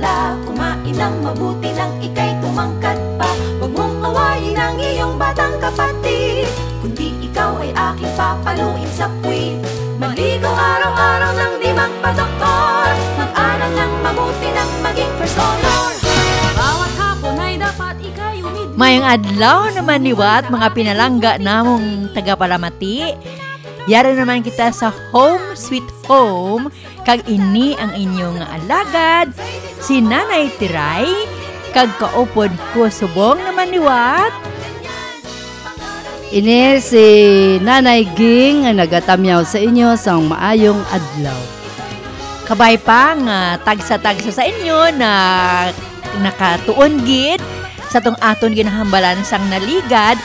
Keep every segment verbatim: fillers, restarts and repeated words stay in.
La, kumain ng mabuti nang ika'y tumangkad pa. Huwag mong awayin ang iyong batang kapatid, kundi ikaw ay aking papaluin sa puwit. Maligo araw-araw nang di magpadoktor. Mag-aral ng mabuti nang maging first honor. Bawat hapon ay dapat ika'y umidlip. Mayong adlaw naman liwat, mga pinalangga namong tagapalamati. Yari naman kita sa Home Sweet Home, kag ini ang inyong alagad, si Nanay Tiray, kag kaupod ko subong naman liwat. Ini si Nanay Ging nga nagatamyaw sa inyo sang maayong adlaw. Kabay pa nga tagsa-tagsa sa inyo na nakatuon gid sa tong aton ginahambalan sang naligad,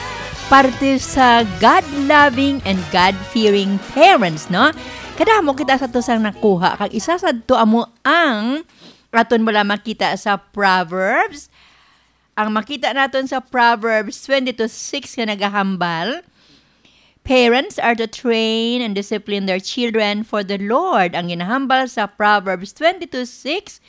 parte sa God-loving and God-fearing parents, no? Kadamo kita sa to sang nakuha, kag isa sadto amo ang aton bala makita sa Proverbs. Ang makita naton sa Proverbs twenty-two six nga nagahambal, "Parents are to train and discipline their children for the Lord." Ang ginahambal sa Proverbs twenty-two six,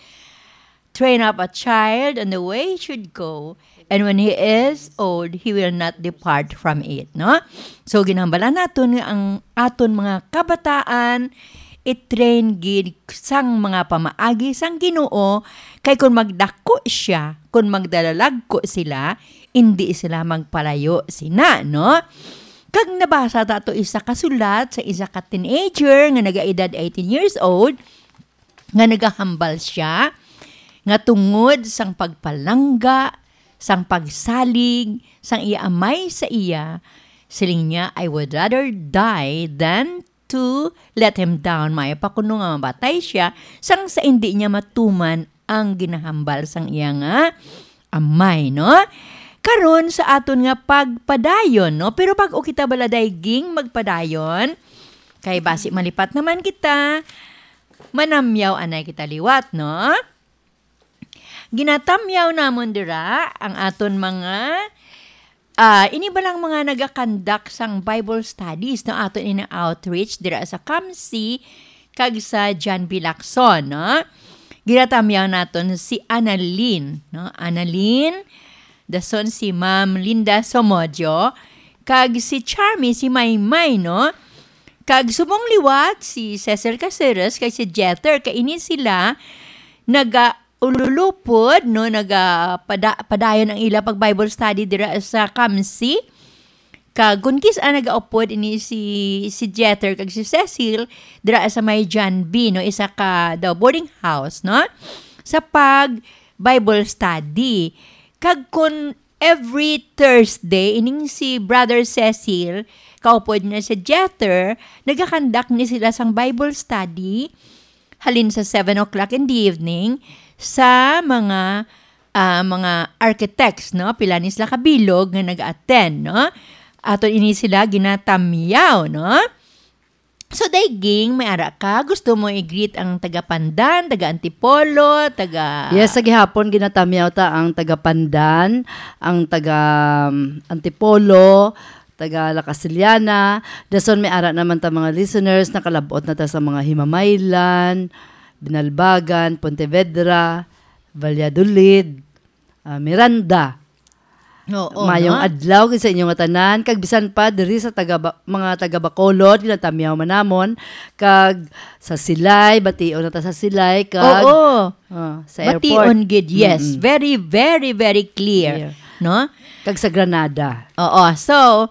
"Train up a child in the way he should go, and when he is old, he will not depart from it." No? So, ginhambalan naton nga ang aton mga kabataan i-train gid sang mga pamaagi sang Ginoo, kay kon magdako siya, kon magdalalagko sila, indi sila magpalayo sina, no? Kag nabasa ta to isa ka sulat sa isa ka teenager nga nagaedad eighteen years old, nga nagahambal siya nga tungod sang pagpalangga, sang pagsalig sang iya amay sa iya, siling niya, "I would rather die than to let him down." Maayo pa kuno nga mamatay siya sang sa indi niya matuman ang ginahambal sang iya nga amay, no? Karon sa aton nga pagpadayon, no? Pero bag-o kita bala, Day Ging, magpadayon, kay basi malipat naman kita, manamyaw anay kita liwat, no? Ginatamyaw namon dira ang aton mga, ah, ini ba lang mga nagakandak sang Bible studies, no? Aton ini outreach dira sa Kamsi kag sa John B. Lacson, no? Ginatamyaw naton si Annalyn, no? Annalyn, dason si Ma'am Linda Somodio, kag si Charmy, si Maymay, no? Kag subong liwat si Cecil Caceres kag si Jeter, kay ini sila nagaululupod, no, naga-, pada-, padayon ang ila pag Bible study dira sa Kamsi. Kag kun kis-a nagaupod ini si, si Jeter kag si Cecil dira sa may John B, no, isa ka daw boarding house, no, sa pag Bible study. Kag kun every Thursday, ining si Brother Cecil, kaupod niya si Jeter, nagakandak ni sila sang Bible study halin sa seven o'clock in the evening sa mga, ah, mga architects, no? Pila ni sila kabilog nga nag-attend, no? Ato ini sila ginatamyaw, no? So, Day Ging, may ara ka? Gusto mo i-greet ang taga Pandan, taga Antipolo, taga Yes, sa gihapon, ginatamyaw ta ang taga Pandan, ang taga, um, Antipolo, taga La Castellana. Dason may ara naman ta mga listeners, nakalab-ot na ta sa mga Himamaylan, Binalbagan, Pontevedra, Valladolid, ah, Miranda. Oo, Mayong no? Adlaw gid sa inyo nga tanan, kag bisan pa diri sa taga Ba-, mga taga Bacolod, ginatamyaw man namon, kag sa Silay, bation na ta sa Silay, kag Oo. ah, sa Bation airport. Gid, yes. Mm-mm. Very, very, very clear, Clear. No? Kag sa Granada. Oo. So,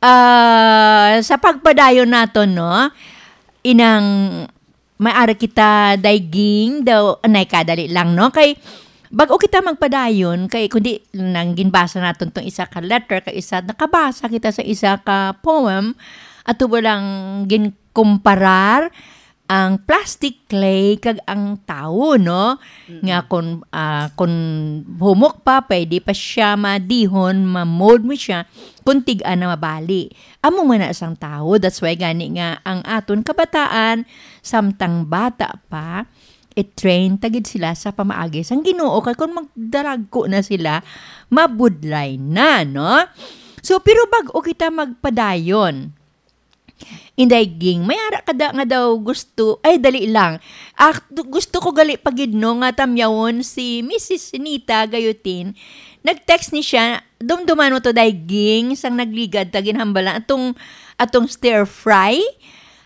ah, sa pagpadayon nato, no, inang may ara kita, Day Ging, daw, anay ka, dali lang, no? Kay, bag-o kita magpadayon, kay kundi nang ginbasa naton tong isa ka letter, kay isa, nakabasa kita sa isa ka poem, ato ba lang ginkumparar ang plastic clay kag ang tawo, no? Mm-mm. Nga kung, ah, kung humok pa, pwede pa siya madihon, ma-mold mo siya, kung tig-a na mabali. Amo man na sang tawo, that's why gani nga ang aton kabataan, samtang bata pa, i-train ta gid sila sa pamaagi sang Ginoo, kay kung magdaragko na sila, mabudlay na, no? So, pero bag-o kita magpadayon, Inday Ging, may ara ka da nga daw gusto, ay, dali lang. Ah, du-, gusto ko gali pa gid, no, nga tamyawon si Missus Nita Gayutin. Nag-text ni siya, dumduman mo to, Day Ging, sang nagligad ta ginhambalan atong, atong stir fry.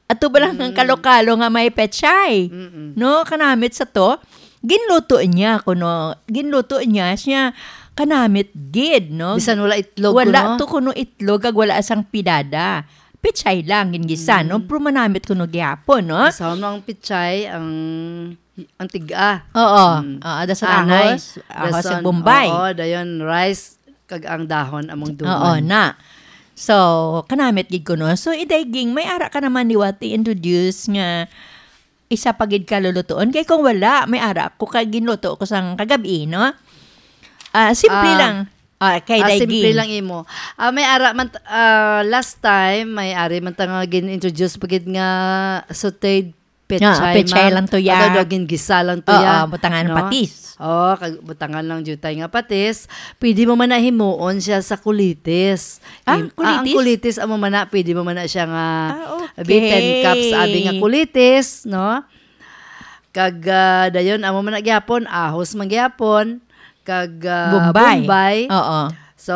Ato ba lang ang Mm. kalo-kalo nga may pechay? Mm-mm. No, kanamit sa to. Ginluto niya kuno, ginluto niya siya kanamit gid, no? Bisan wala itlog, Wala kuno? to kuno itlog, kag wala sang pidada. Pechay lang, gingisa, no? Mm. Pero manamit kuno gihapon, no? Sa ano ang pechay, ang, ang tiga? Oo. Mm. Oo, dason Anay. ahos, ahos sa Dason, Bombay. oo, dayon rice, kag ang dahon among Oo, duman. na. So, kanamit gid kuno. So, Iday Ging, may ara ka naman liwat i-introduce nga isa pa gid ka lulutuon. Kay kung wala, may ara ko kay ginluto ko sang kagabi, no? Ah, simple Ah, lang. Ah, kay ah, Day simple Ging. lang imo. Ah, may ara man t-, ah, last time, may ari man ta nga gin-introduce pa gid nga sauteed pechay, Ah, pechay ma'am. lang to, ya. Ano daw, gingisa lang to, Oo, ya. butangan No? patis. Oo, kag butangan lang jutay nga patis. Pwede mo man na himuon siya sa kulitis. Ah, Im-, ah, ang kulitis? kulitis, amo man na, pwede mo man na siya nga Ah, abi, ten okay. cups, abi nga kulitis, no? Kag, ah, dayon, amo man na gyapon, ahos man gyapon, kag, ah, Bombay. Bombay. Oo. So,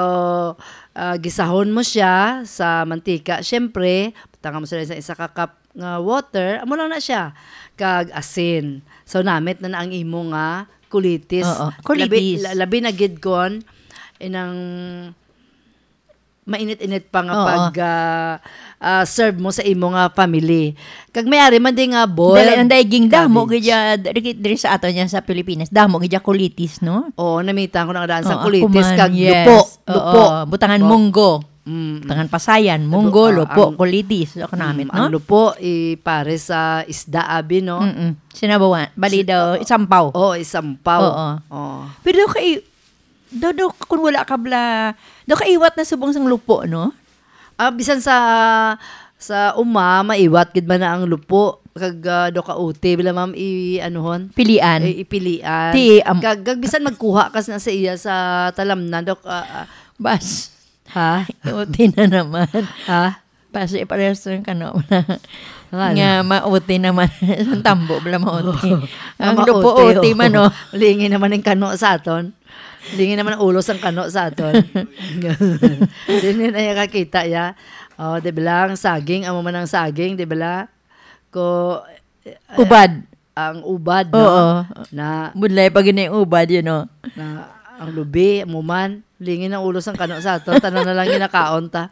ah, gisahon mo siya sa mantika, syempre, butangan mo sila sa isa ka cup nga water, amo lang na siya, kag asin. So, namit na na ang imo nga kulitis. Oo, Labi, kulitis. la-, labi na gid kon inang mainit-init pa nga Oo. pag, ah, ah, serve mo sa imo nga family. Kag may ari man di nga boiled Dali, ang daiging damo, cabbage. gid ya, diri, diri sa ato niya sa Pilipinas, damo gid ya kulitis, no? Oo, namita ko na nga daan sa Oo, kulitis, kuman, kag yes. lupo, Oo, lupo. butangan Bo-, munggo. Mm. Butangan pasayan, Lupo, munggo, ah, lupo, ang kulitis. Ako namit, mm, no? ang lupo, ipare sa isda, abi, no? Mm-mm. Sinabawan. Bali Si-, daw, oo. isampaw. Oo, isampaw. Oo. Oo. Pero kay, daw, daw, kung wala ka bla, daw kaiwat na subong sang lupo, no? Ah, bisan sa, sa uma, maiwat gid man na ang lupo. Kag, ah, daw ka uti, bala, ma'am, i-, anuhon? Pilian. I-, ipilian. Ti, am- Kag, kag bisan magkuha ka na sa iya sa talamnan, daw, ah, ah. Bas. Ha? Uti na naman. Ha? Basi parehas ng kano. Ano? Nga mauti naman. Ang tambo, bala mauti. Nga Ang lupo mauti, uti oh. man, oh. Lingi naman ang kano sa aton. Lingi naman ang ulo sang kano sa aton. Dili na iya kakita, ya. Oh, di ba lang, saging, amo man ang saging, di ba la? Ko, eh, Ubad. ang ubad, no? Oo. Na Budlay pa gini ubad, you know. Na ang lubi, amo man, lingi ang ulo sang kano sa aton, tanan na lang ginakaon ta.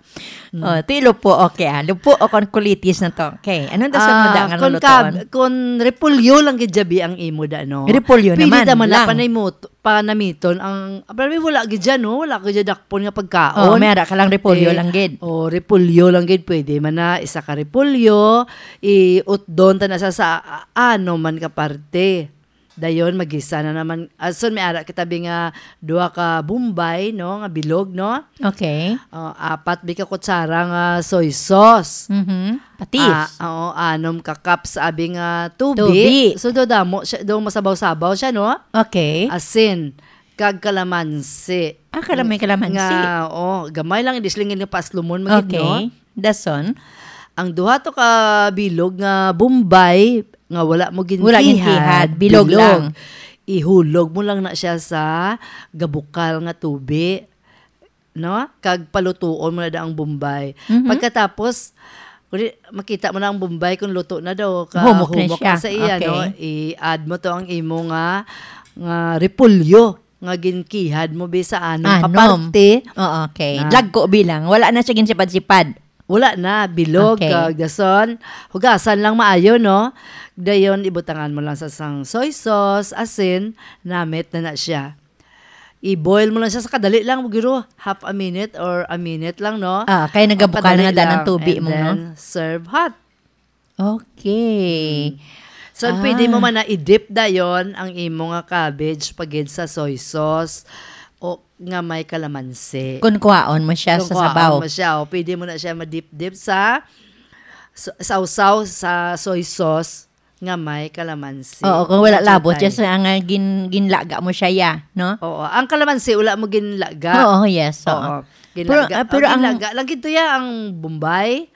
Mm. Oh, ti lupo, okay, ah. Lupo o kon kulitis na to. Okay, anong dason mo Ah, da nga kon lulutoon? kab-, kon repolyo lang gid jabi ang imo da, no? Repolyo Pwede naman da man na lang. panay mo t-, panamiton ang, pero wala gid dyan, no? Wala gid dyan dakpon nga pagkaon. Oh, may ara ka lang repolyo Eh, lang gid. oh, repolyo lang gid. Pwede man na isa ka repolyo, iutdon ta na sa, sa, ah, ano man ka parte. Dayon, magisa na naman. Ason, may ara kita bi nga duha ka Bombay, no, nga bilog, no? Okay. Oh, apat bi ka kutsara nga soy sauce. Mhm. Patis. Ah, oo, anom ka cups abi nga tubi. Tubi. So, do damo siya, do masabaw-sabaw siya, no? Okay. Asin, kag kalamansi. Ah, kala may kalamansi. Nga, oh, gamay lang, hindi sila nga paslumon, magid, no? Okay. Dason? Ang duha to ka bilog nga Bombay, nga wala mo Wala ginkihad, ginkihad, bilog bilog. lang. Ihulog mo lang na siya sa gabukal nga tubi, no? Kag palutuon mo na da ang Bombay. Mhm. Pagkatapos, kung di, makita mo na ang Bombay kung luto na daw, ka Humok na humok siya. na sa iya, no? Okay. I-add mo to ang imo nga, nga repolyo nga ginkihad mo bi sa anom ka Anom. parte. Oo, okay. Na Lagko bilang. Wala na siya ginsipad-sipad. Wala na, bilog, Okay. kag dason, hugasan lang maayo, no? Dayon, ibutangan mo lang sa sang soy sauce, asin, namit na na siya. I-boil mo lang siya sa kadali lang, guro, half a minute or a minute lang, no? Ah, kay O, nagabukal kadali na daan ang lang. tubi And mo, no? then, serve hot. Okay. Mm. So, pwede mo Ah. man na i-dip dayon ang imo nga cabbage pagid sa soy sauce o nga may kalamansi. Kung kuhaon mo siya Kung sa kuhaon sabaw. mo siya, o, pwede mo na siya ma-dip-dip sa, sa, sawsaw sa soy sauce nga may kalamansi. Oo, kung wala Medyo labot, tayo. just ang, ah, gin-, ginlaga mo siya, ya, no? Oo, ang kalamansi, wala mo ginlaga. Oo, yes, oo. Oo, Pero, ginlaga. ah, pero Ang ang ginlaga, lagi to ya, ang Bombay,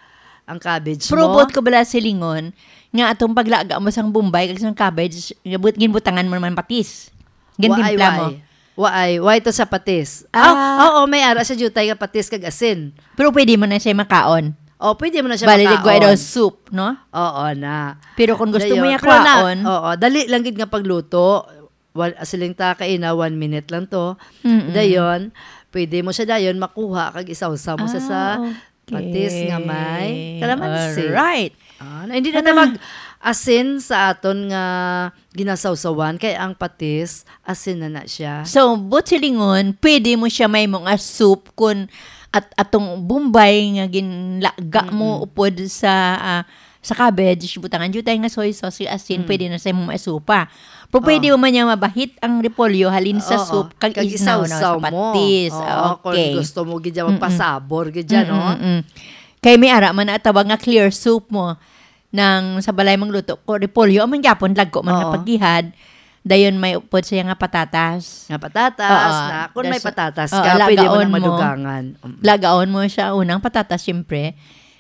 ang cabbage mo. Probot ko bala silingon nga atong paglaga mo sang bombay kag sang cabbage, nga but-, ginbutangan mo naman patis. Gintimpla mo. Waay, waay. Waay, waay to sa patis. Ah. Ah, oo, may ara sa jutay nga patis kag asin. Pero pwede mo na siya makaon. Oh, pwede mo na siya makaon. Bali, ligway daw soup, no? Oo na. Pero kung gusto mo niya kwaon, oo, dali lang gid nga pagluto. Wal-, siling ta kaina, one minute lang to. Mm-mm. Dayon, pwede mo siya dayon makuha kag isawsaw mo sa, sa Ah, okay. patis nga may kalamansi. Alright. Ah, na, hindi na Ano? ta mag-asin sa aton nga ginasawsawan, kay ang patis, asin na na siya. So, but silingon, pwede mo siya may mga soup kun at atong bombay nga ginlaga mo Mm-mm. upod sa, ah, sa cabbage, butangan jud tayo nga soy sauce, asin, Mm. pwede na sa imong masupa. Pero pwede Oh. mo man niya mabahit ang repolyo halin sa Oo, soup, kag kag isnaw na isawsaw sa mo. patis. Oo, kung Okay. gusto mo gid siya Mm-mm. magpasabor gid siya, no? Mm-mm, mm-mm. Kay may ara man na tawag nga clear soup mo nang sa balay mangluto ko repolyo, amon gyapon lagko man nga Oo. paggihad. Dayon may upod siya nga patatas. Nga patatas, Oo. na, kung may Das-, patatas oo, ka, pwede mo na lagaon mo. madugangan. Mm. Lagaon mo siya, unang patatas, siyempre.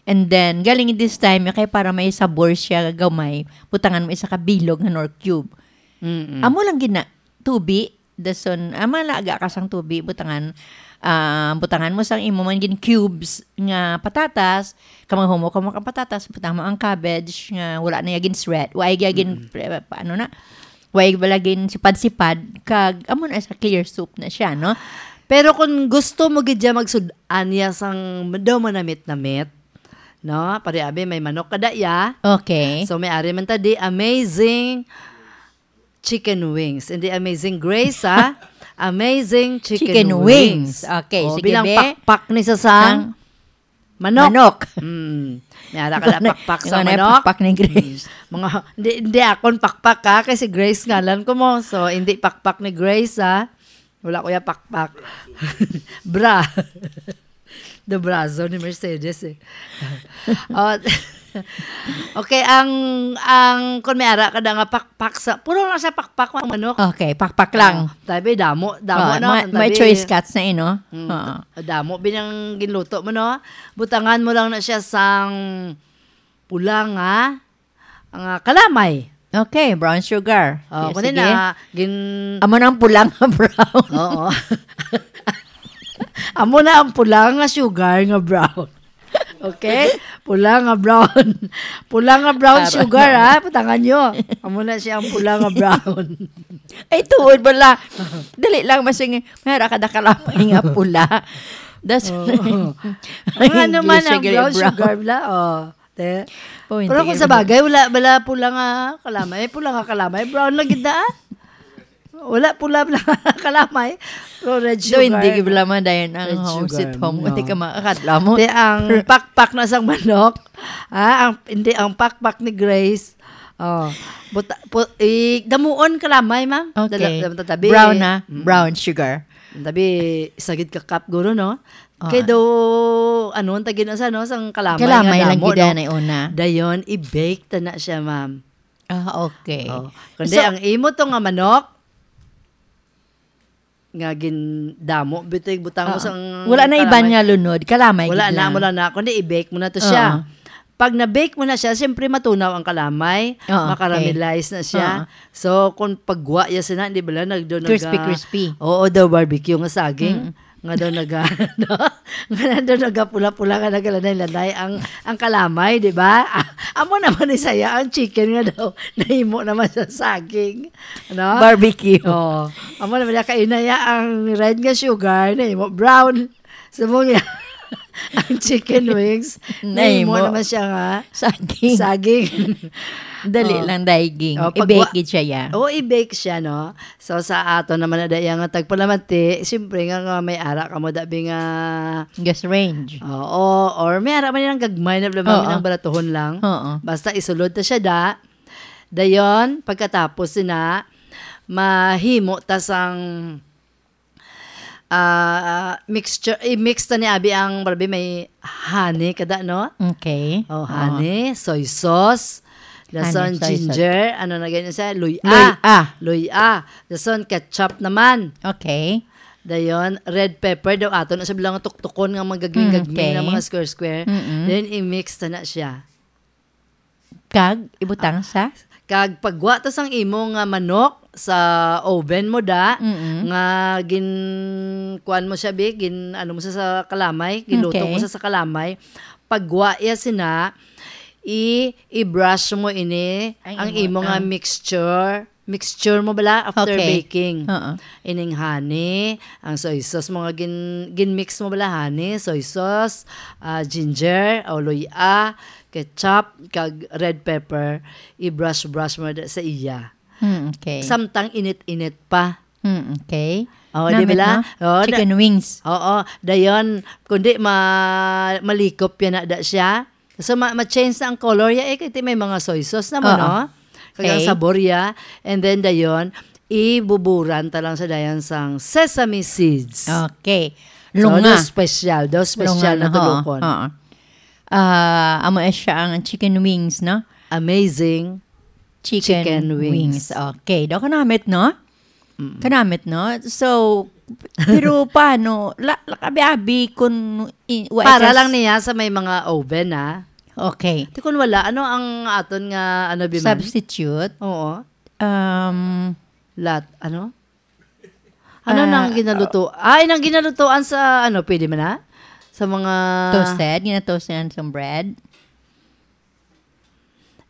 And then, galing this time, kay para may sabor siya gamay, butangan mo isa ka bilog nga Knorr cube. Mm-mm. Amo lang gid na, tubi, dason, ah, malaga ka sang tubi, butangan, ah, butangan mo sang imo man gin cubes nga patatas, kamang humok-humok ang patatas, butang mo ang cabbage nga wala na ya gin shred, wa ya gin, Mm-mm. pre-, pa-, ano na, wa ya bala gin sipad-sipad, kag amo na sa clear soup na siya, no? Pero kung gusto mo gid siya magsud-an niya sang daw manamit-namit, no? Pare, abi, may manok kada ya. Okay. So, may ari man ta di, amazing chicken wings. Hindi Amazing Grace, ha? Amazing chicken Chicken wings. wings. Okay, Oh, sige, bilang be. pakpak ni sa sang Sang manok. manok. Mm. May ara ka na Ikaw na, pakpak sa ikaw na yung manok. pakpak ni Grace. Mm. Mga, hindi, hindi akon pakpak, ha? Kasi Grace ngalan ko mo. So, hindi pakpak ni Grace, ha? Wala ko yung pakpak. Bra. The brazo ni Mercedes, eh. Oh, okay, ang, ang, kung may ara ka na nga pakpak sa, puro lang siya pakpak, mga manok. Okay, pakpak lang. Oh, tabi, damo, damo Oh, na, may, ang may tabi. choice cuts na, eh, no? Mm, Oo. da-, damo, binang ginluto mo, no? Butangan mo lang na siya sang pula nga, nga kalamay. Okay, brown sugar. Oh, Okay, kundi sige. na, gin- Amo na ang pula nga brown. Oo. Amo na ang pula nga sugar nga brown. Okay? Pula nga brown. Pula nga brown Para sugar, na. ha? Patangan nyo. Amo na siya ang pula nga brown. Ay, tuod bala. Dali lang, masing, may ara ka na kalamay nga pula. Das-, Oo. Ang Ang ano man English, ang sige, brown brown. sugar, bala, oh. Te. Oh, Pero hindi kung ka sa bagay, wala, wala pula nga kalamay. Pula nga kalamay, brown lang gid na, ah. Wala pula, pula nga kalamay. Pero red Do, sugar, hindi no? gid wala man dayon ang Red home sugar, sweet home. no. Hindi ka makakadla mo. Te, ang pakpak na sang manok, ah, ang, hindi, ang pakpak ni Grace. Oh, buta, pu-, i-, damuon kalamay, ma'am. Okay. Dala-, dala-, tabi. Brown na, Mm. brown sugar. Tabi, sagid ka cup, guro, no? Oo. Kay daw, ano, ang tagin na sa, no, sang kalamay Kalamay nga lang damo, gid no? na una. Dayon, i-bake ta na siya, ma'am. Ah, okay. Oh. Kundi So ang imo to nga manok, nga gin-, damo, bitoy, butang mo Oo. sang Wala na iban kalamay. nga lunod, kalamay Wala gid na, lang. wala na. Kundi i-bake mo na to siya. Oo. Pag na-bake mo na siya, siyempre matunaw ang kalamay, Oo, okay. makaramelize na siya. Oo. So, kung pagwa ya sina, di ba lang, nagdo Crispy, naga-, crispy. Oo, daw barbecue nga saging. Mm. Nga daw naga-, no? Nga daw nagapula-pula, nga nagalanay-lanay ang, ang kalamay, di ba? Amo naman ni saya ang chicken nga daw nahimo naman sa saging. Ano? Barbecue. Oo. Amo naman niya, kainaya ang red nga sugar, nahimo brown. Subong niya, ang chicken wings, nahimo Nahimo. naman siya nga Saging. saging. Dali Oh. lang, daiging. Oh, pag I-bake wa-, gid siya, ya. Oh, i-bake siya, no? So, sa ato naman na daya nga tagpalamati, siyempre nga, nga may ara ka mo, dabi nga Gas range. Oo, or may ara man nilang gagmay na bala Oo. ang baratuhon lang. Oo. Basta isulod ta siya da. Dayon, pagkatapos sina, mahimo ta sang, ah, mixture, i-mix ta ni abi ang, barabi, may honey kada, no? Okay. Oh, Oo. honey, soy sauce, Honey, dason soy sauce. ginger, ano na ganyan siya? Luya. Luya. Luya. Dason ketchup naman. Okay. Dayon, red pepper daw ato na sa bilang tuktukon nga magagming-gagming Mm, okay. na mga square-square. Mm-mm. Then, i-mix na na siya. Kag, ibutang Ah, sa? Kag pagwa ta sang imo nga manok sa oven mo da, Mm-mm. nga gin-, kuan mo siya, bi, gin-, ano mo sa, sa kalamay, giluto mo Okay. sa, sa kalamay. Pagwa iya sina, i-, i-brush mo ini, Ang ang imo, imo nga ang mixture. Mixture mo bala after Okay. baking. Oo. Ining honey, ang soy sauce mo nga gin-, gin-mix mo bala, honey, soy sauce, ah, ginger, o luya, ketchup, kag red pepper, i-brush-brush mo da sa iya. Hmm, okay. Samtang init-init pa. Hmm, okay. Oh, di Namit, bala? no? Oh, da- Chicken wings. Oo, dayon, kundi ma-, malikop yan na da siya. So, ma-, ma-change na ang color ya, eh, kay may mga soy sauce na mo, Oo. no? Kag ang Okay. sabor ya. And then, dayon, ibuburan ta lang sa dayan sang sesame seeds. Okay. So, Lunga. do special, do special Lunga na na, oo, tulukon. oo. Ah, amo na siya ang chicken wings, no? Amazing Chicken chicken wings. wings. Okay. Do kanamit, no? Mm. Kanamit, no? So, pero paano? La, la, abi-abi kung i-, wa Para ikas- lang niya sa may mga oven, ah. Okay. Di kung wala, ano ang aton nga, ano, biman? Substitute? Oo. Um, Lat, ano? Ano Ah, nang ginaluto? Ay, nang ginalutoan sa, ano, pwede man na? Sa mga Toasted? Ginatoasted sa bread?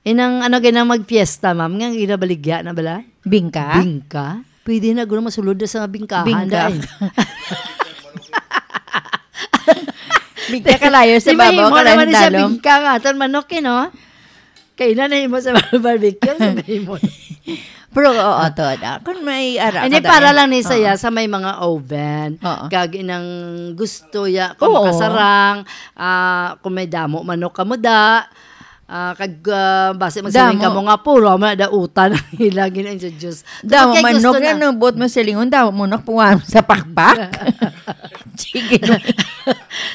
Inang, ano, ginang magfiesta, ma'am, nga ginabaligya na bala? Bingka? Bingka? Pwede na, guro, masulod na sa bingkahan, Bingka. dahil. Bingka kalayo sa Di babaw, mahimo kalayo naman sa siya dalom. bingka nga, aton manok, eh, no? Kaya na nahimo sa barbecue, sa nahimo. Pero, oo, to, da. Kung may ara Hindi, ka, para dali. lang ni saya Oo. sa may mga oven. Oo. Kag inang gusto ya, kung Oo. kasarang, ah, kung may damo manok ka mo da, ah, kag, ah, basi magsaling Damo. ka mo nga puro, amo na dautan ang ila gina-introduce. Kung Damo kay gusto manok na. yan, no? Buot mo silingon, damo manok, puwan sa pakpak. Sige.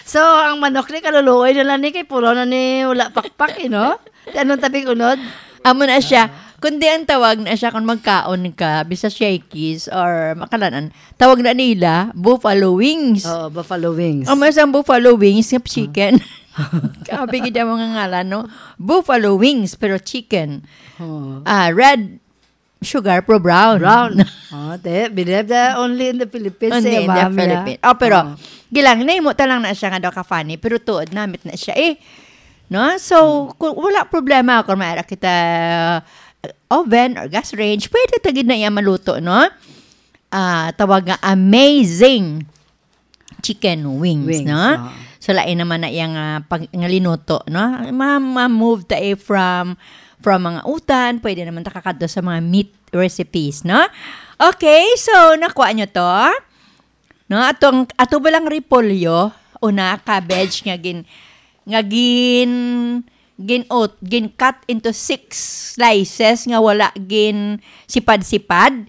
So, ang manok ni kaluluoy na lang ni kay puro na ni wala pakpak, eh, no? Di anong tabing unod? Amo na siya. Ah. Kundi ang tawag na siya kung magkaon ka, bisa shakies or makalanan, tawag na nila buffalo wings. Oo, buffalo wings. Amo sa buffalo wings nga chicken. Grabe gid ang mga ngalan, no? Buffalo wings, pero chicken. Oo. Ah, red sugar, pero brown. Brown. Oh, te, believe that only in the Philippines, Only eh, in the ma'am, yeah. Philippines. Oh, pero Oo. gilang, nahimo ta lang na siya nga daw ka-funny, pero tuod namit na siya, eh. No? So, Hmm. kung wala problema kung may ara kita, uh, oven or gas range, pwede ta gid na iya maluto, no? Ah, tawag nga amazing chicken wings, Wings, no? Oo. So, lain naman na iyang, ah, pag-, nga linuto, no? Ma-, ma-move ta, eh, from, from mga utan, pwede naman ta kakadto sa mga meat recipes, no? Okay, so, nakuha nyo to? No, atong, ato ba lang repolyo? Una, cabbage nga gin-, nga gin-, gin-, gin-cut into six slices nga wala gin-sipad-sipad,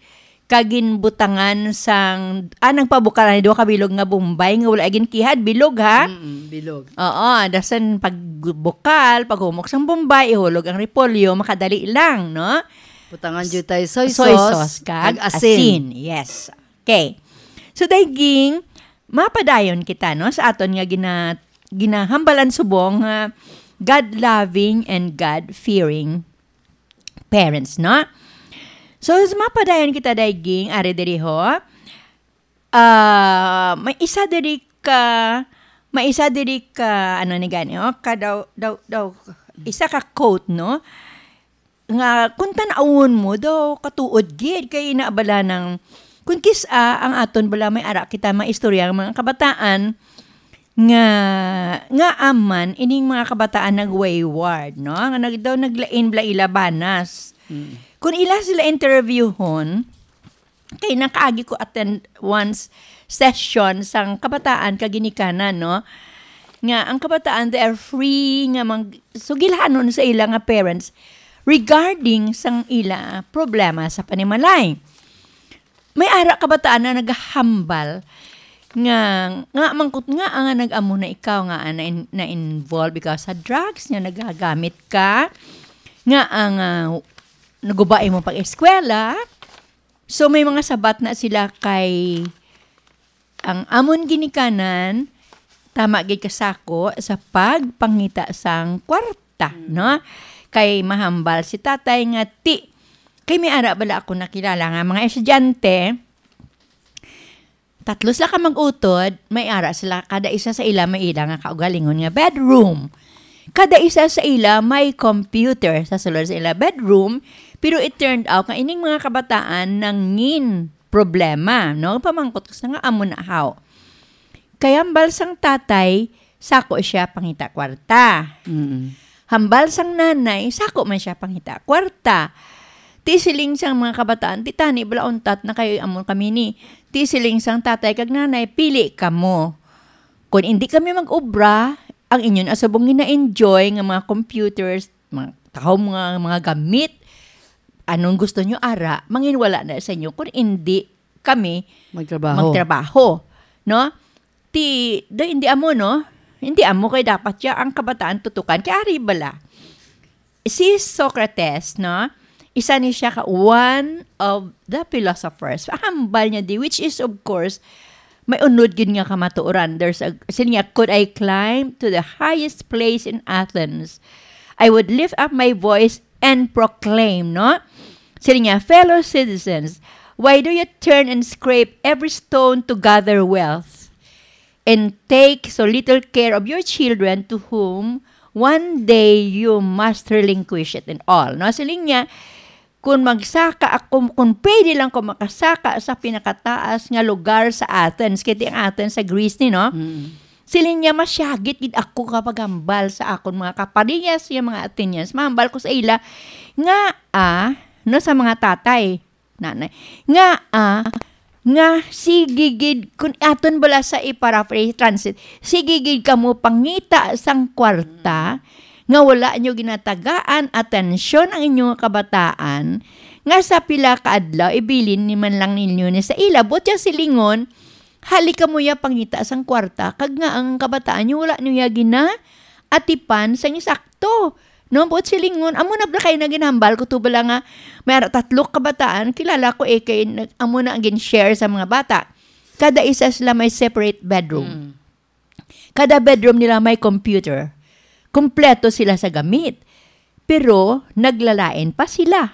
kag ginbutangan sang, ah, nagpabukal ani duha ka bilog nga bombay nga wala gin-kihad, bilog, ha? Mm, bilog. Oo, dasan pagbukal, paghumok sang bombay, ihulog ang repolyo, makadali lang, no? Butangan jud tayo soy Soy sauce, sauce kag kag asin. asin, yes. Okay. So, dayging, mapadayon kita, no, sa aton nga gina-, ginahambalan subong nga God-loving and God-fearing parents, no? So, sa mapadayon kita, dayging, ari diri ho, ah, may isa diri ka, may isa diri ka, ano ni gani, oh, ka daw, daw, daw, isa ka quote, no? Nga kung tan-awon mo daw, katuod gid kay ina bala nang, kung kis-a ang aton bala may ara kita maistorya ang mga kabataan nga, nga aman ining mga kabataan nag-wayward, no? Nga nag-, daw naglain bala ila banas. Mm. Kung ila sila interviewhon, kay nakaagi ko attend once session sang kabataan kag ginikanan, no? Nga ang kabataan, they are free nga mag-, sugilhanon sa ila nga parents regarding sang ila problema sa panimalay. May ara kabataan na nagahambal nga, nga mangkot nga nga nag-amo na ikaw nga na, na-involve ikaw sa drugs, nga nagagamit ka, nga ang, ah, naguba imo pag-eskwela, So, may mga sabat na sila kay, ang amon ginikanan, tama gid kasako sa pagpangita sang kwarta, Mm. no? Kay mahambal si tatay nga ti, kay may ara bala ako nakilala nga mga estudyante, tatlo sila ka mag-utod, may ara sila, kada isa sa ila may ila nga kaugalingon nga bedroom. Kada isa sa ila may computer sa sulod sa ila bedroom, pero it turned out nga ining mga kabataan nangin problema, no? Pamangkot ko sa nga amo na haw. Kay hambal sang tatay, sako siya pangita kwarta. Mm. Hambal sang nanay, sako man siya pangita kwarta. Ti siling sang mga kabataan, ti tani bala untat na kayo amo kami ni. Ti siling sang tatay kag nanay, pili kamo. Kung hindi kami mag-obra, ang inyo na subong gina-enjoy nga mga computers, mga tahom nga mga gamit, anong gusto nyo ara, manginwala na sa inyo kung hindi kami Magtrabaho. magtrabaho, no? Ti, do, hindi amo, no? Hindi amo kay dapat siya ang kabataan tutukan. Kay ari bala, si Socrates, no? Isa ni siya ka one of the philosophers. Hambal niya di, which is, of course, may unod gid nga kamatuoran. There's a, siling niya, "Could I climb to the highest place in Athens, I would lift up my voice and proclaim," no? Siling niya, "Fellow citizens, why do you turn and scrape every stone to gather wealth, and take so little care of your children, to whom one day you must relinquish it and all," no? Siling niya, "Kung magsaka ako, kung pwede lang ko makasaka sa pinakataas nga lugar sa Athens," kay ti ang Athens sa Greece ni, no? Mm. Siling niya, "Masyagit gid ako kapag hambal sa akon mga kaparehas nga mga Athenians. Mahambal ko sa ila nga, ah, no, sa mga tatay, nanay, nga, ah, nga sige gid, kung aton bala sa i-paraphrase, translate, sige gid kamo pangita sang kwarta nga wala nyo ginatagaan atensyon ang inyong kabataan, nga sa pila ka adlaw ibilin ni man lang ninyo ni sa ila." Buot siya silingon, hali kamo ya pangita sang kwarta, kag nga ang kabataan nyo wala nyo ya ginaatipan sang sakto. No, buot silingon, amo na bala kay naginhambal ko to bala nga may ara tatlo kabataan, kilala ko eh, kay nag-, amo na ang gin-share sa mga bata. Kada isa sila may separate bedroom. Mm. Kada bedroom nila may computer. Kompleto sila sa gamit. Pero naglalain pa sila.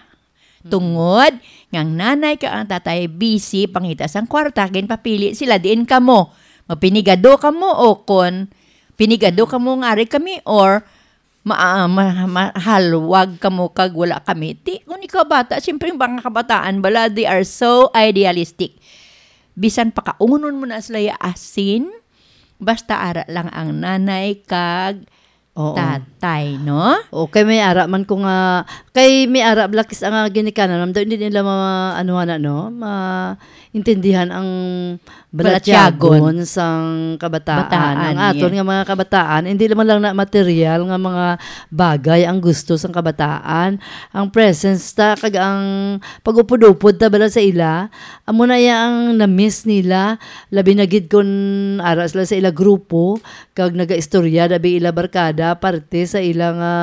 Mm. Tungod nga ang nanay kag ang tatay busy pangita sang kwarta, ginpapili sila diin kamo. Mapinigado kamo o kon pinigado Mm. kamo nga ari kami or ma-, ma-, mahalwag kamo kag wala kami. Ti, kung ikaw bata, siyempre ang mga kabataan bala, they are so idealistic. Bisan pakaunon mo na sila ya asin, basta ara lang ang nanay kag Oo. tatay, no? O, kay may ara man ko nga, kay may ara blakis ang, ah, ginikanan, ma'am, daw hindi nila ma-, ano, ano, no? Maintindihan ang Balatyagon. Balatyagon sang kabataan. Bataan, Ang aton yeah. nga mga kabataan, hindi naman lang na material nga mga bagay ang gusto sang kabataan. Ang presence ta, kag ang pag-upod-upod ta bala sa ila, amo na iya ang na-miss nila. Labi na gid kun ara sila sa ila grupo, kag nagaistorya, labi ila barkada, parte sa ila nga,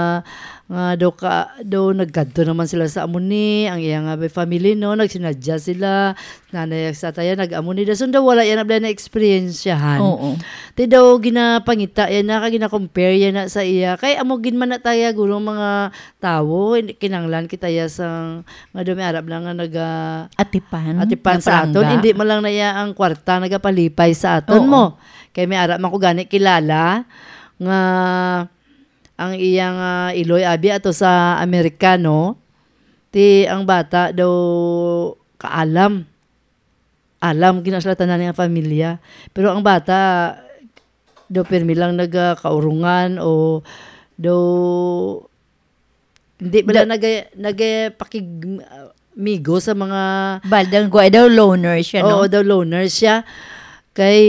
nga daw ka, daw nagkadto naman sila sa amo ni, ang iya nga may family, no, nagsinadya sila, nanay sa taya, nag-amo ni, dason daw wala yan na na-experiensyahan. Oo. Ti daw ginapangita yan na, kag gina-compare yan na sa iya. Kay amo gid man na taya, guro, mga tawo, hindi kinanglan kita ya sang, nga daw may arab lang nga naga-, Atipan, atipan sa aton, naparangga. Hindi man lang na iya ang kwarta nagapalipay sa aton Oo. mo. Kay may ara man ko gani kilala nga ang iyang, ah, iloy abi ato sa Amerikano, ti ang bata daw kaalam. Alam gina sila tanan nga pamilya. Pero ang bata daw pirmi lang nagakaurungan o daw hindi bala Da- naga-, nagapakig-, ah, migo sa mga Baldang guwa daw loner siya, no? Oo, daw loner siya. Kay,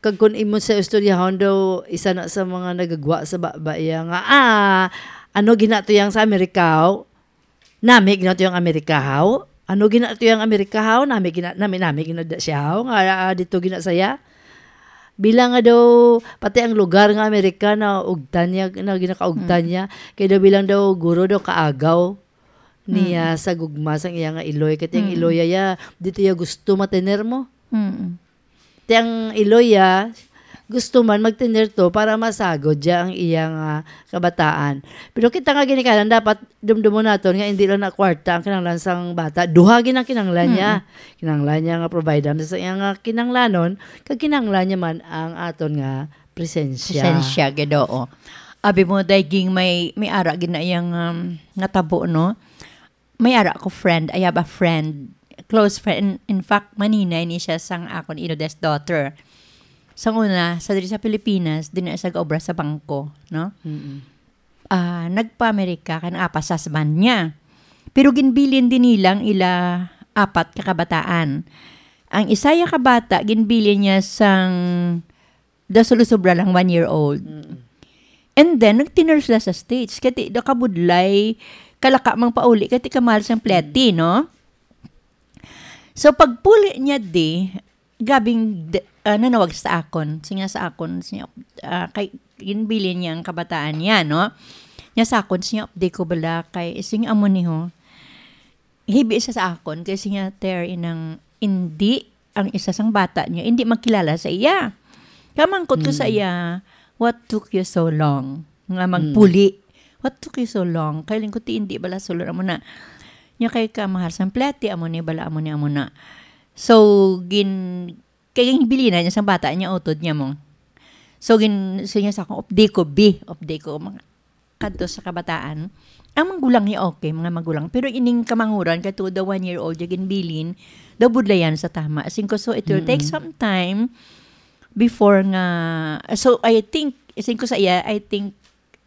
kag kun imo sa istoryahon daw, isa na sa mga nagagwa sa ba-, ba iya nga, ah, ano ginatuyang sa Amerika, oh? Nami ginatuyang Amerika, haw? Ano ginatuyang Amerika, haw? Nami gina-, nami, nami gina da siya, haw? Nga, ah, dito gina saya? Bilang nga daw, pati ang lugar nga Amerika na ugtan niya, na ginakaugtan Mm. niya. Kaya daw bilang daw guro daw kaagaw niya Mm. sa gugma sang iya nga iloy. Kaya ang Mm. iloy ya, dito ya gusto matener mo. Mm. Ti ang iloy, ah, gusto man magtener to para masagod siya ang iyang, ah, kabataan. Pero kita nga ginikanan, dapat dumdumon naton nga hindi lang na kwarta ang kinahanglan sang bata. Duha gid ang kinahanglan niya. Mm-mm. Kinahanglan niya nga provide sa iyang, ah, kinahanglanon, kag kinahanglan niya man ang aton nga presensya. Presensya, gid, oo. Abi mo, Day Ging, may, may ara gid na iyang, um, natabo, no? May ara ko friend. I have a friend, close friend. In, in fact, maninay ni siya sang akon eldest daughter. Sang una, sa diri sa Pilipinas, din na siya gaobra sa bangko, no? Mm-mm. Ah, nagpa-Amerika kay naapas sa husband niya. Pero ginbilin din nilang ila apat ka kabataan. Ang isa ya ka bata, ginbilin niya sang daw sulo sobra lang one year old. Mm. And then, nagtinor sila sa States. Kati nakabudlay, kalaka mang pauli, kati kamahal sang pleti, no? So, pagpuli niya di, gabing d-, ah, nanawag sa akon. Siya sa akon, siya, ah, kay, ginbilin niya ang kabataan niya, no? Niya sa akon, siya, "Update ko bala kay, siya amo ni ho." Hibi siya sa akon, kay siya, "Ter, inang, hindi ang isa sang bata niya, hindi magkilala sa iya." Kamangkot ko sa Mm. iya, "What took you so long nga Mm. magpuli? What took you so long?" Kay lingkod ti hindi bala sulod amo na. Niya kay ka mahal sang pleti, amo ni bala, amo ni, amo na. So, gin-, kay ginbilin na niya sang bata niya, utod niya mo. So, gin-, so niya sa akon, "Update ko, bi, update ko." Mga kadto sa kabataan, ang magulang niya okay, mga magulang. Pero ining kamanguran, kay tuod daw one year old, yung ginbilin, daw budlayan sa tama. As in ko, so it will take Mm. some time before nga, so I think, as in ko sa iya, I think,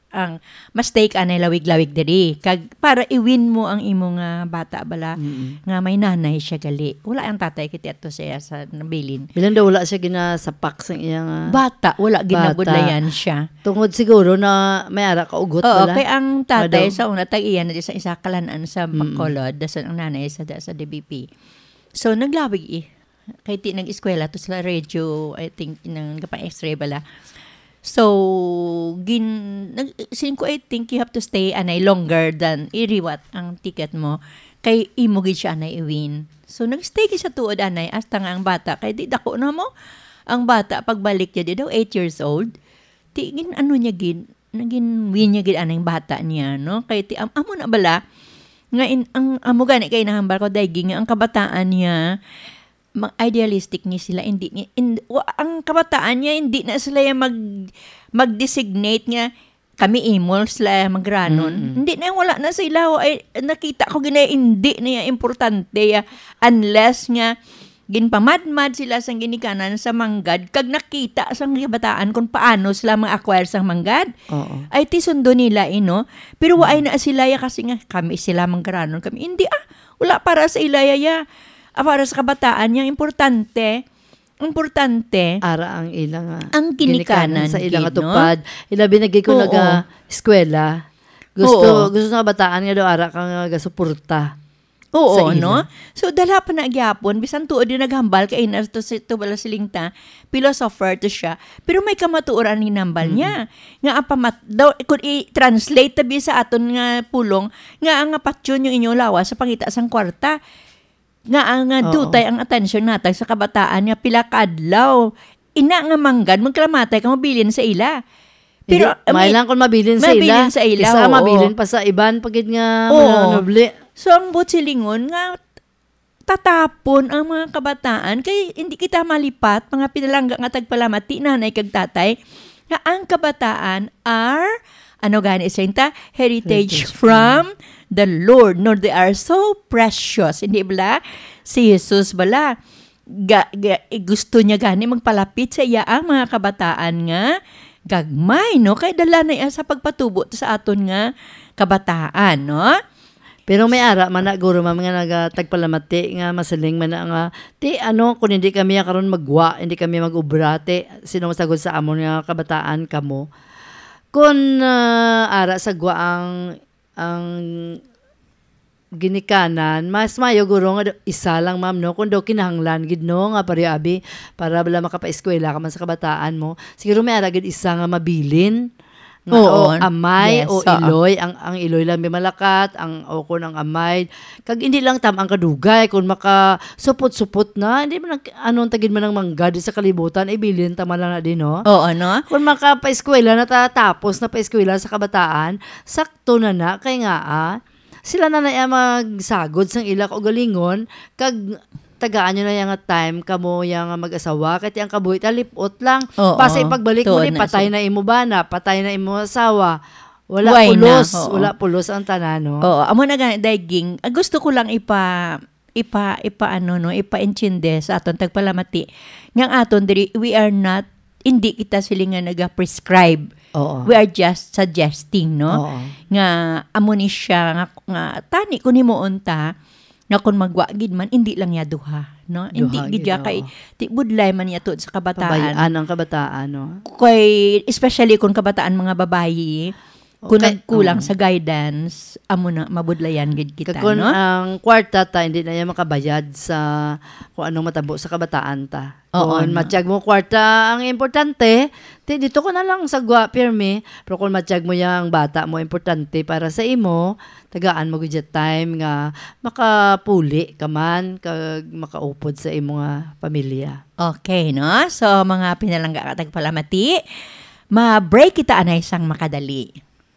ang mas take anay lawig-lawig diri. Kag para i-win mo ang imo nga bata bala, Mm. nga may nanay siya gali. Wala ang tatay kiti ato siya sa nabilin. Bilang daw wala siya ginasapak sa iya nga Bata, wala bata. Ginabudlayan siya. Tungod siguro na may ara ka ugot Oo, pala. Kay ang tatay Madam. Sa una, tag-iya na di sa isa kalan-an sa Mm. Bacolod, dason ang nanay sa, sa D B P. So, naglawig eh. Kay ti nag-eskwela to sila radio, I think, nang kapang X-ray bala. So, gin-, nag-, siling ko, I think you have to stay anay longer than iriwat ang ticket mo. Kay imo gid siya anay i-win. So, nag-stay gid siya tuod anay, hasta nga ang bata, kay di dako na mo. Ang bata, pagbalik niya, di daw eight years old. Ti, gin-, ano niya gid, nagin-win niya gid anang bata niya, no? Kay ti, am-, amo na bala, nga in, ang, amo gani kay nahambal ko, Daiging, nga ang kabataan niya, ma-, idealistic ni sila, hindi ni, in, wa-, ang kabataan niya, hindi na sila yung mag, mag-designate nga, "Kami imol, sila magranon." Mm-mm. Hindi na, wala na sila, wa-, ay, nakita ko gina, hindi na yung importante, ya, unless nga, ginpamadmad sila sang ginikanan sa manggad, kag nakita sang kabataan kung paano sila ma-acquire sang manggad. Oo. Ay, ti sundo nila, eh, no? Pero wa ay Mm. na sila ya kasi nga, "Kami sila manggaranon kami." Hindi, ah. Wala para sa ila ya, ya. Ah, para sa kabataan, yang importante, importante, Ara ang ila nga ang ginikanan ginikanan sa ila gid, nga no? Tupad. Ilabi na gid kung Oo. Naga-eskwela. Gusto, Oo. gusto sa kabataan nga daw ara ka nga gasuporta. Oo, sa ila. No? So, dala pa na gyapon, bisan tuod yung naghambal kay inas to si, to bala siling ta, philosopher to siya. Pero may kamatuoran ni nambal Mm-mm. niya. Nga ang pamat-, daw, kung i-translate tabi sa aton nga pulong, nga ang patyon yung inyong lawas sa pangita sang kwarta. Nga ang, nga Oo. dutay ang atensyon natag sa kabataan nga pila ka adlaw. Ina nga manggad, magkalamatay ka, mabilin sa ila. Pero, Hindi, I may mean, lang kung mabilin sa mabilin ila. Sa ila, Kisa oo. Mabilin pa sa iban, pagid nga Oo. Mga nobli. So, ang buot silingon nga, tatapon ang mga kabataan, kay hindi kita malipat, mga pinalangga nga tagpalamati, nanay kag tatay, nga ang kabataan are, ano gani siya ta? Heritage Heritage from from the Lord, nor they are so precious. Hindi bala? Si Jesus bala, ga, ga, eh, gusto niya gani magpalapit sa iya ang mga kabataan nga gagmay, no? Kay dala na iya sa pagpatubo to sa aton nga kabataan, no? Pero may ara man na, guro, ma'am, nga nagatagpalamati nga masiling man na nga, "Ti, ano, kung hindi kami ya karon magwa, hindi kami mag-ubra, ti, sino masagod sa amon nga kabataan kamo?" Kung, ah, ara sa gwa ang, ang ginikanan, mas mayo, guro, nga do-, isa lang, ma'am, no? Kung daw kinahanglan gid, no, nga pareho abi, para bala makapaeskwela ka man sa kabataan mo. Siguro may ara gid isa nga mabilin. Nga, Oo. o amay Yes, o oo. iloy, ang, ang iloy lang may malakat, ang, o kun ang amay. Kag hindi lang tam ang kadugay, kun maka supot-supot na, hindi man ang, anong tagid man ang mangga di sa kalibutan, ibilin ta man lang na din, no? Oo, no? Kun makapaeskwela na ta, tapos na paeskwela sa kabataan, sakto na na, kay nga, ah, sila na na iya magsagod sang ila kaugalingon, kag tagaan nyo na iya nga time, kamo iya nga mag-asawa, kay ti ang kabuhi ta lipot lang. Oo. Basta ipagbalik mo Tuod ni, na patay siya. na imo bana, patay na imo asawa. Wala Why na? pulos, Oo. wala pulos ang tanan, no? Oo, amo na gani, Daiging. Ah, gusto ko lang ipa, ipa, ipa, ano, no, ipaintindi sa aton tagpalamati. Nga ang aton diri, we are not, hindi kita sila nga naga-prescribe. Oo. We are just suggesting, no? Oo. Nga amo ni siya nga, nga tani kun himuon ta, nga kun magwa gid man, hindi lang ya duha, no? Hindi Duha gid gid, ya kay, oo. ti budlay man ya tuod sa kabataan. Pabayaan ang kabataan, no? Kay, especially kun kabataan mga babayi, kun Okay, nagkulang oo. sa guidance, amo na, mabudlayan gid kita, Kag kun no? ang kwarta ta, hindi na yan makabayad sa kung anong matabo sa kabataan ta. Oo, Kung no? matyag mo kwarta ang importante, ti dito ko na lang sa gwa, pirmi. Pero kung matyag mo yang bata mo importante para sa imo, tagaan mo gid ya time nga makapuli ka man, kag makaupod sa imo nga pamilya. Okay, no? So, mga pinalangga ka tagpalamati, ma-break kita anay sang makadali.